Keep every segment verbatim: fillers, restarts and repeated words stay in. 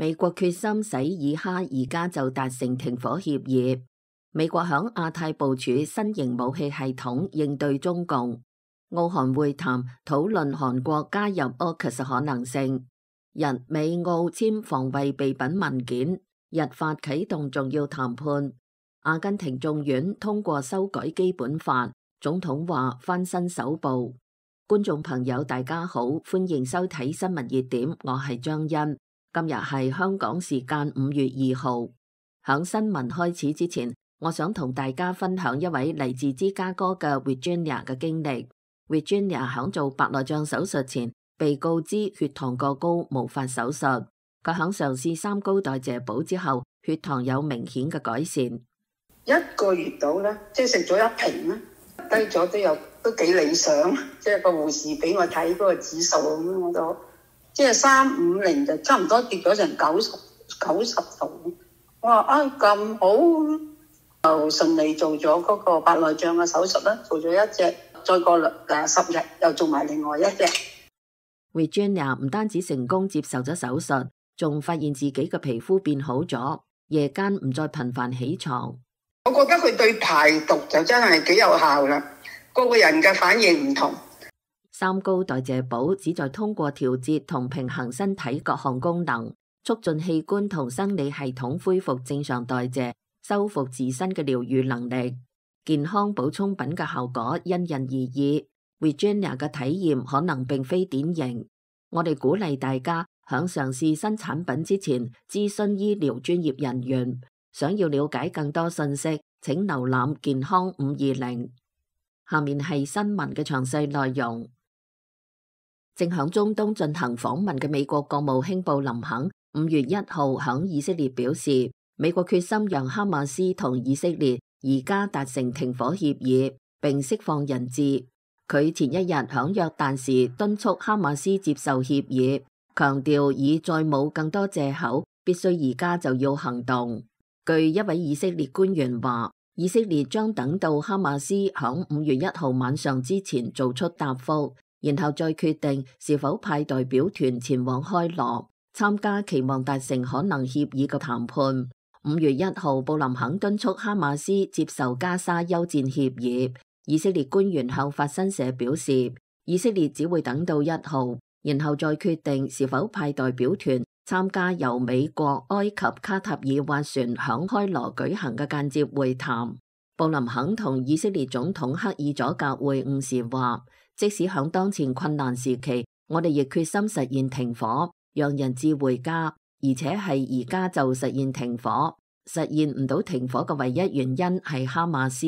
美國決心使以哈而家就達成停火協議。美國響亞太部署新型武器系統應對中共。澳韓會談討論韓國加入 A U K U S 可能性。日美澳簽防衛備品文件，日法啟動重要談判。阿根廷眾院通過修改基本法，總統話翻身首部。觀眾朋友大家好，歡迎收睇新聞熱點，我係張欣。今日係香港時間五月二號。響新聞開始之前，我想同大家分享一位嚟自芝加哥嘅 Virginia 嘅經歷。Virginia 響做白內障手術前，被告知血糖過高，無法手術。佢響嘗試三高代謝補之後，血糖有明顯嘅改善。一個月到咧，即係食咗一瓶咧，低咗都有都幾理想。即係個護士俾我睇嗰個指數咁樣，我都即係三五零就差唔多跌咗成九十九十度。我話啊咁好，就順利做咗嗰個白內障嘅手術啦，做咗一隻，再過誒十日又做埋另外一隻。Virginia 唔單止成功接受咗手術，仲發現自己嘅皮膚變好咗，夜間唔再頻繁起床。我覺得佢對排毒就真係幾有效啦，個個人嘅反應唔同。三高代謝補旨在通過調節同平衡身體各項功能，促進器官同生理系統恢復正常代謝，修復自身嘅療癒能力。健康補充品嘅效果因人而異。Virginia 嘅體驗可能並非典型，我哋鼓勵大家響嘗試新產品之前諮詢醫療專業人員。想要了解更多信息，請瀏覽健康五二零。下面係新聞嘅詳細內容。正響中東進行訪問嘅美國國務卿布林肯五月一號響以色列表示，美國決心讓哈馬斯同以色列而家達成停火協議，並釋放人質。佢前一日響約旦時敦促哈馬斯接受協議，強調已再冇更多借口，必須而家就要行動。據一位以色列官員話，以色列將等到哈馬斯響五月一號晚上之前做出答覆，然後再決定是否派代表團前往開羅參加期望達成可能協議嘅談判。五月一號，布林肯敦促哈馬斯接受加沙休戰協議。以色列官員向法新社表示，以色列只會等到一號，然後再決定是否派代表團參加由美國、埃及、卡塔爾斡旋響開羅舉行嘅間接會談。布林肯同以色列總統克爾佐格會晤時話，即使響當前困難時期，我哋亦決心實現停火，讓人質回家，而且係而家就實現停火。實現唔到停火嘅唯一原因係哈馬斯。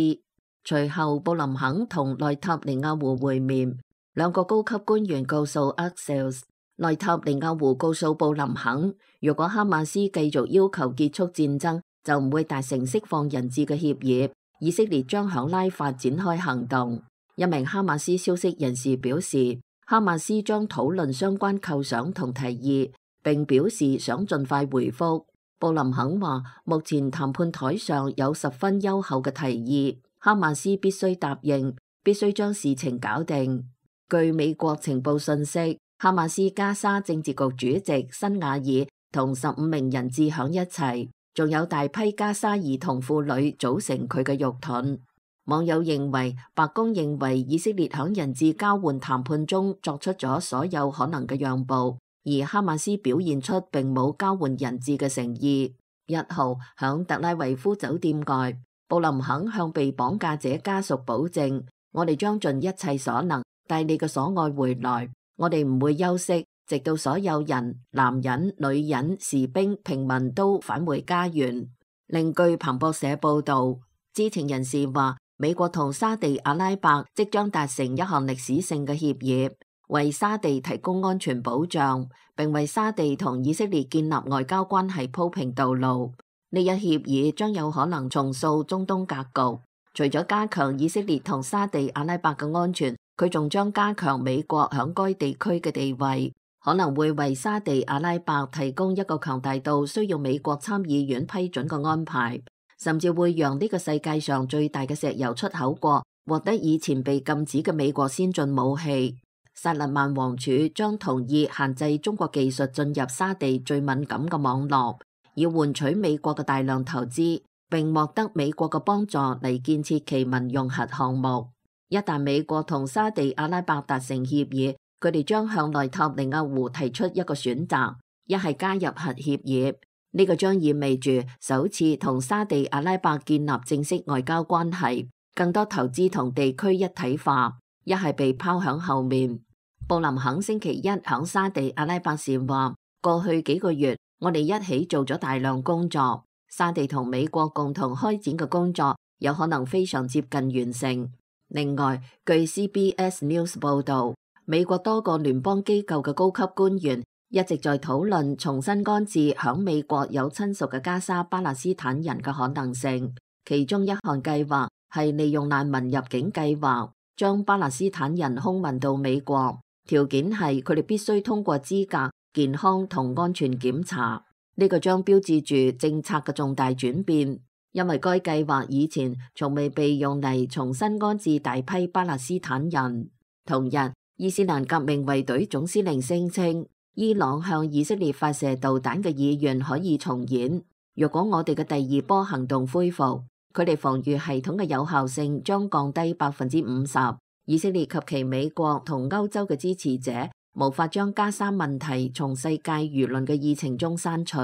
隨後，布林肯同內塔尼亞胡會面，兩個高級官員告訴 Axios， 內塔尼亞胡告訴布林肯，如果哈馬斯繼續要求結束戰爭，就唔會達成釋放人質嘅協議，以色列將響拉法展開行動。一名哈馬斯消息人士表示，哈馬斯將討論相關構想同提議，並表示想盡快回覆。布林肯話，目前談判台上有十分優厚嘅提議，哈馬斯必須答應，必須將事情搞定。據美國情報信息，哈馬斯加沙政治局主席辛瓦爾同十五名人質響一齊，仲有大批加沙兒童婦女組成佢嘅肉盾。網友認為，白宮認為以色列響人質交換談判中作出咗所有可能嘅讓步，而哈馬斯表現出並冇交換人質嘅誠意。一號響特拉維夫酒店外，布林肯向被綁架者家屬保證，我哋將盡一切所能帶你嘅所愛回來，我哋唔會休息，直到所有人、男人、女人、士兵、平民都返回家園。另據彭博社報道，知情人士話，美國同沙地阿拉伯即將達成一項歷史性嘅協議，為沙地提供安全保障，並為沙地同以色列建立外交關係鋪平道路。呢一協議將有可能重塑中東格局，除咗加強以色列同沙地阿拉伯嘅安全，佢仲將加強美國響該地區嘅地位，可能會為沙地阿拉伯提供一個強大到需要美國參議院批准嘅安排，甚至會讓呢個世界上最大嘅石油出口國獲得以前被禁止嘅美國先進武器。薩勒曼王儲將同意限制中國技術進入沙地最敏感嘅網絡，以換取美國嘅大量投資，並獲得美國嘅幫助嚟建設其民用核項目。一旦美國同沙地阿拉伯達成協議，佢哋將向內塔尼亞胡提出一個選擇，一係加入核協議，呢個將意味住首次同沙地阿拉伯建立正式外交關係，更多投資同地區一體化；一係被拋響後面。布林肯星期一響沙地阿拉伯時話：過去幾個月，我哋一起做咗大量工作，沙地同美國共同開展嘅工作有可能非常接近完成。另外，據 C B S News 報導，美國多個聯邦機構嘅高級官員一直在討論重新安置響美國有親屬嘅加沙巴勒斯坦人嘅可能性。其中一項計劃係利用難民入境計劃，將巴勒斯坦人空運到美國，條件係佢哋必須通過資格、健康同安全檢查。呢個將標誌住政策嘅重大轉變，因為該計劃以前從未被用嚟重新安置大批巴勒斯坦人。同日，伊斯蘭革命衛隊總司令聲稱，伊朗向以色列發射導彈嘅意願可以重演。若果我哋嘅第二波行動恢復，佢哋防禦系統嘅有效性將降低百分之五十。以色列及其美國同歐洲嘅支持者無法將加沙問題從世界輿論嘅議程中刪除。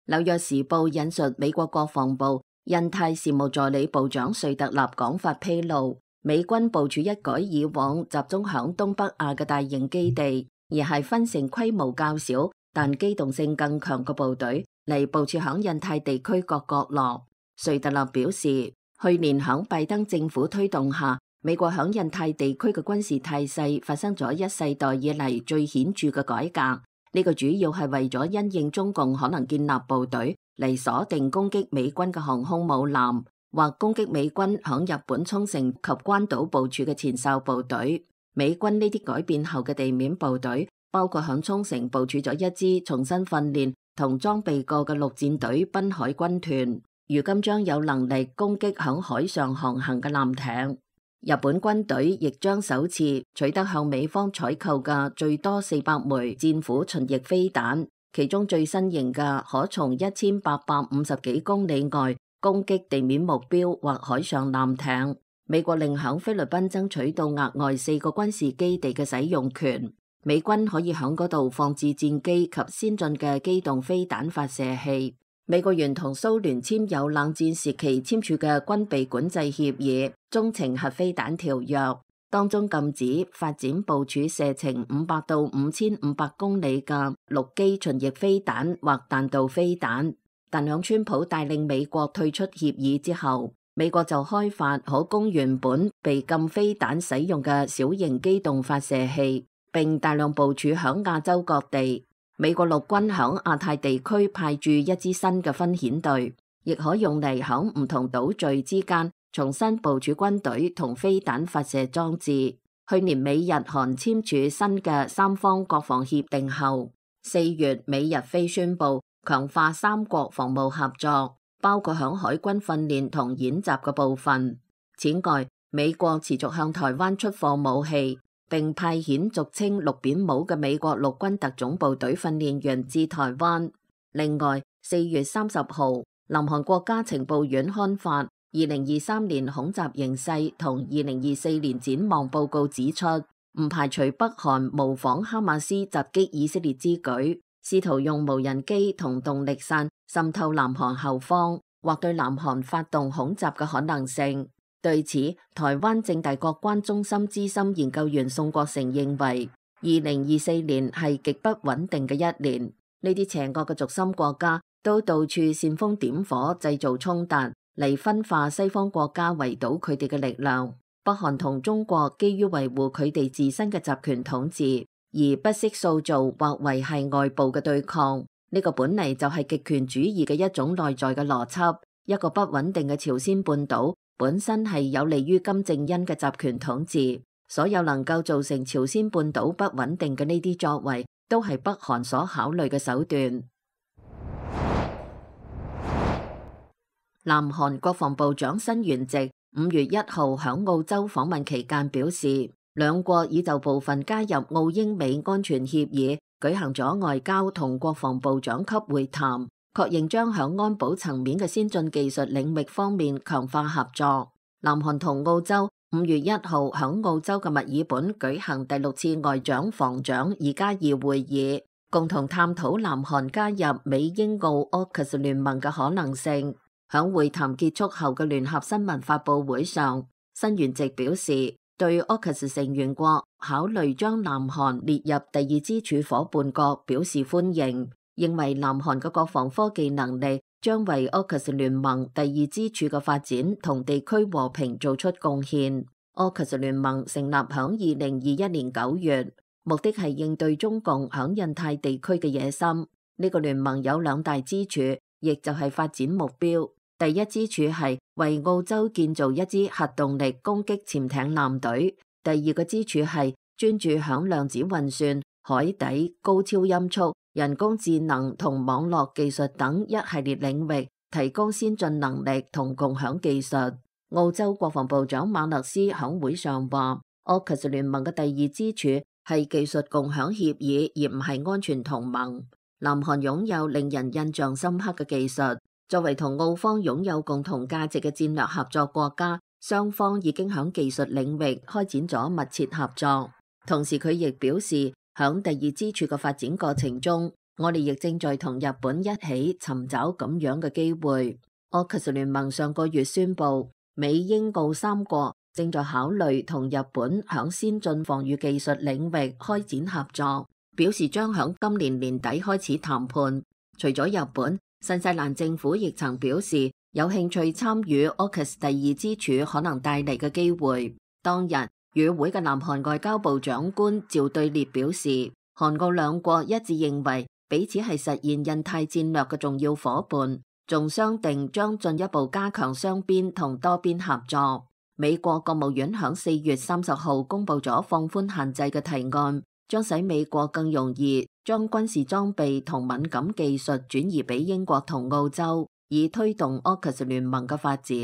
紐約時報引述美國國防部印太事務助理部長瑞特納講法披露，美軍部署一改以往集中響東北亞嘅大型基地，而係分成規模較小但機動性更強嘅部隊嚟部署響印太地區各角落。瑞特納表示，去年響拜登政府推動下，美國響印太地區嘅軍事態勢發生咗一世代以嚟最顯著嘅改革。呢個主要係為咗因應中共可能建立部隊嚟鎖定攻擊美軍嘅航空母艦，或攻擊美軍響日本沖繩及關島部署嘅前哨部隊。美軍呢啲改變後嘅地面部隊，包括響沖繩部署咗一支重新訓練同裝備過嘅陸戰隊濱海軍團，如今將有能力攻擊響海上航行嘅艦艇。日本軍隊亦將首次取得向美方採購嘅最多四百枚戰斧巡弋飛彈，其中最新型嘅可從一千八百五十幾公里外攻擊地面目標或海上艦艇。美國另響菲律賓爭取到額外四個軍事基地嘅使用權，美軍可以響嗰度放置戰機及先進嘅機動飛彈發射器。美國原同蘇聯簽有冷戰時期簽署嘅軍備管制協議中程核飛彈條約，當中禁止發展部署射程五百到五千五百公里嘅陸基巡弋飛彈或彈道飛彈。但響川普帶領美國退出協議之後，美國就開發可供原本被禁飛彈使用嘅小型機動發射器，並大量部署響亞洲各地。美國陸軍響亞太地區派駐一支新嘅分遣隊，亦可用嚟響唔同島嶼之間重新部署軍隊同飛彈發射裝置。去年美日韓簽署新嘅三方國防協定後，四月美日菲宣布強化三國防務合作，包括響海軍訓練同演習嘅部分。此外，美國持續向台灣出貨武器，並派遣俗稱綠扁帽嘅美國陸軍特種部隊訓練員至台灣。另外，四月三十號，南韓國家情報院刊發二零二三年恐襲形勢同二零二四年展望報告，指出唔排除北韓模仿哈馬斯襲擊以色列之舉，試圖用無人機同動力傘滲透南韓後方，或對南韓發動恐襲嘅可能性。對此，台灣政大國關中心資深研究員宋國成認為，二零二四年係極不穩定嘅一年。呢啲邪惡嘅軸心國家都到處煽風點火，製造衝突，嚟分化西方國家圍堵佢哋嘅力量。北韓同中國基於維護佢哋自身嘅集權統治，而不惜塑造或維繫外部嘅對抗。呢個本嚟就係極權主義嘅一種內在嘅邏輯。一個不穩定嘅朝鮮半島本身係有利於金正恩嘅集權統治，所有能夠造成朝鮮半島不穩定嘅呢啲作為，都係北韓所考慮嘅手段。南韓國防部長申元植五月一號響澳洲訪問期間表示，兩國已就部分加入澳英美安全協議舉行咗外交同國防部長級會談，確認將響安保層面嘅先進技術領域方面強化合作。南韓同澳洲五月一號響澳洲嘅墨爾本舉行第六次外長防長二加二會議，共同探討南韓加入美英澳 A U K U S 聯盟嘅可能性。響會談結束後嘅聯合新聞發佈會上，新元籍表示對 A U K U S 成員國考慮將南韓列入第二支柱夥伴國表示歡迎，認為南韓嘅國防科技能力將為 A U K U S 聯盟第二支柱嘅發展同地區和平做出貢獻。A U K U S 聯盟成立響二零二一年九月，目的係應對中共響印太地區嘅野心。呢、這個聯盟有兩大支柱，亦就係發展目標。第一支柱係為澳洲建造一支核動力攻擊潛艇艦隊，第二個支柱係專注響量子運算、海底、高超音速、人工智能同網絡技術等一系列領域提供先進能力同共享技術。澳洲國防部長馬勒斯響會上話 A U K U S 聯盟嘅第二支柱係技術共享協議，而唔係安全同盟。南韓擁有令人印象深刻嘅技術，作為同澳方擁有共同價值嘅戰略合作國家，雙方已經響技術領域開展咗密切合作。同時佢亦表示，響第二支柱嘅發展過程中，我哋亦正在同日本一起尋找咁樣嘅機會。A U K U S 聯盟上個月宣布，美英澳三國正在考慮同日本響先進防禦技術領域開展合作，表示將響今年年底開始談判。除咗日本，新西蘭政府亦曾表示有興趣參與 A U K U S 第二支柱可能帶嚟嘅機會。當日與會嘅南韓外交部長官趙對列表示，韓澳兩國一致認為彼此係實現印太戰略嘅重要夥伴，仲商定將進一步加強雙邊同多邊合作。美國國務院響四月三十號公布咗放寬限制嘅提案，將使美國更容易將軍事裝備同敏感技術轉移俾英國同澳洲，以推動 A U K U S 聯盟嘅發展。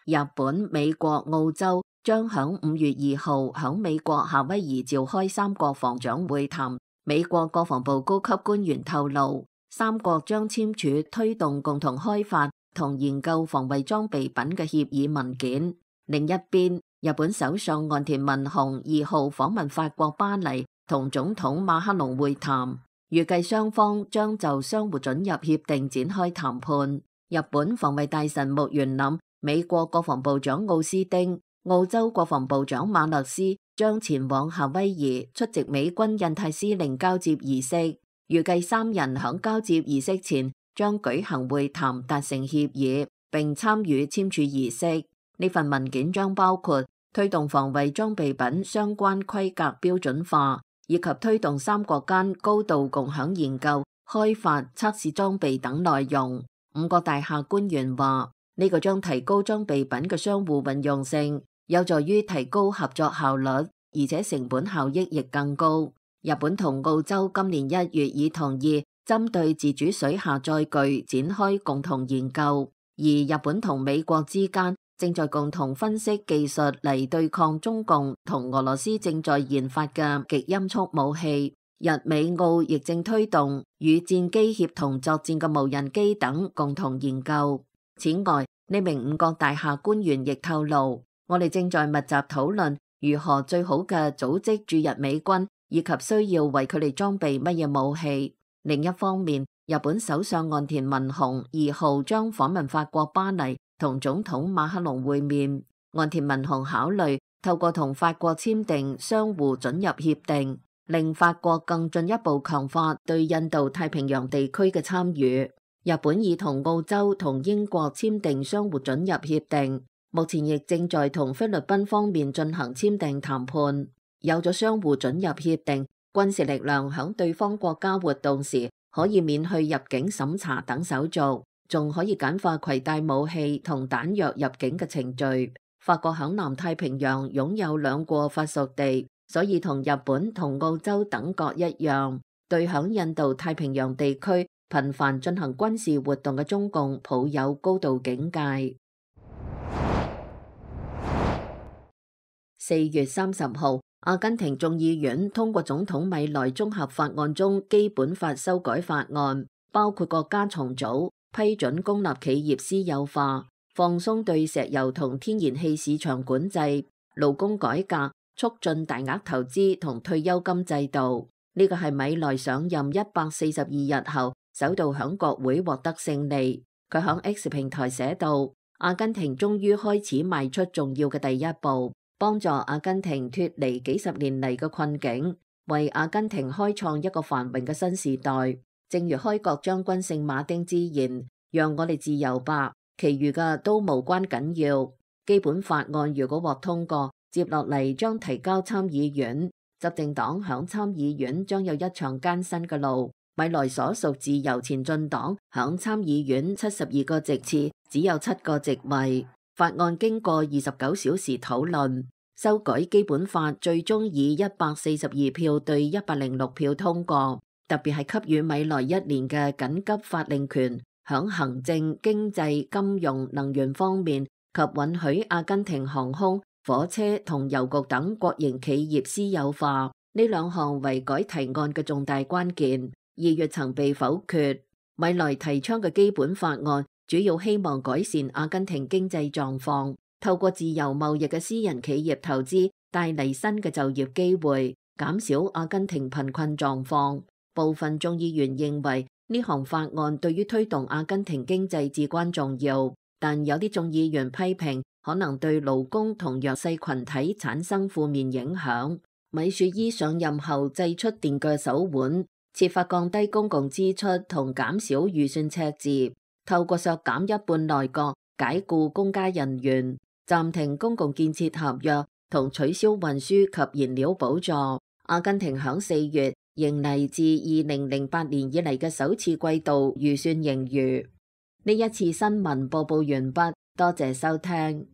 日本、美國、澳洲將響五月二號響美國夏威夷召開三國防長會談。美國國防部高級官員透露，三國將簽署推動共同開發同研究防衛裝備品嘅協議文件。另一邊，日本首相岸田文雄二號訪問法國巴黎，同總統馬克龍會談，預計雙方將就相互准入協定展開談判。日本防衛大臣木原稔、美國國防部長奧斯汀、澳洲國防部長馬勒斯將前往夏威夷出席美軍印太司令交接儀式，預計三人響交接儀式前將舉行會談，達成協議，並參與簽署儀式。呢份文件將包括推動防衛裝備品相關規格標準化，以及推動三國間高度共享研究、開發、測試裝備等內容。五角大廈官員話，呢個將提高裝備品嘅相互運用性，有助於提高合作效率，而且成本效益亦更高。日本同澳洲今年一月已同意針對自主水下載具展開共同研究，而日本同美國之間正在共同分析技術嚟對抗中共同俄羅斯正在研發嘅極音速武器。日美澳亦正推動與戰機協同作戰嘅無人機等共同研究。此外，呢名五角大廈官員亦透露，我哋正在密集討論如何最好嘅組織駐日美軍，以及需要為佢哋裝備乜嘢武器。另一方面，日本首相岸田文雄二號將訪問法國巴黎，同總統馬克龍會面。岸田文雄考慮透過同法國簽訂相互准入協定，令法國更進一步強化對印度太平洋地區嘅參與。日本已同澳洲同英國簽訂相互准入協定，目前亦正在同菲律賓方面進行簽訂談判。有咗相互准入協定，軍事力量響對方國家活動時可以免去入境審查等手續，仲可以簡化攜帶武器同彈藥入境嘅程序。法國響南太平洋擁有兩個法屬地，所以同日本同澳洲等國一樣，對響印度太平洋地區頻繁進行軍事活動嘅中共抱有高度警戒。四月三十號，阿根廷眾議院通過總統米萊綜合法案中基本法修改法案，包括國家重組、批准公立企業私有化、放鬆對石油同天然氣市場管制、勞工改革、促進大額投資同退休金制度。呢個係米萊上任一百四十二日後首度響國會獲得勝利。佢響 X 平台寫道：阿根廷終於開始邁出重要嘅第一步，幫助阿根廷脫離幾十年嚟嘅困境，為阿根廷開創一個繁榮嘅新時代。正如開國將軍聖馬丁之言：讓我哋自由吧，其餘嘅都無關緊要。基本法案如果獲通過，接落嚟將提交參議院。執政黨響參議院將有一場艱辛嘅路。米萊所屬自由前進黨響參議院七十二個席次只有七個席位。法案經過二十九小時討論，修改基本法最終以一百四十二票對一百零六票通過，特別係給予米萊一年嘅緊急法令權，響行政、經濟、金融、能源方面及允許阿根廷航空、火車同郵局等國營企業私有化，呢兩項為改提案嘅重大關鍵。二月曾被否決。米萊提倡嘅基本法案主要希望改善阿根廷經濟狀況，透過自由貿易嘅私人企業投資帶嚟新嘅就業機會，減少阿根廷貧困狀況。部分眾議員認為呢項法案對於推動阿根廷經濟至關重要，但有啲眾議員批評可能對勞工同弱勢群體產生負面影響。米雪伊上任後祭出電鋸手腕，設法降低公共支出同減少預算赤字，透過削減一半內閣、解僱公家人員、暫停公共建設合約同取消運輸及燃料補助。阿根廷響四月迎嚟自二零零八年以嚟嘅首次季度預算盈餘。呢一次新聞播報完畢，多謝收聽。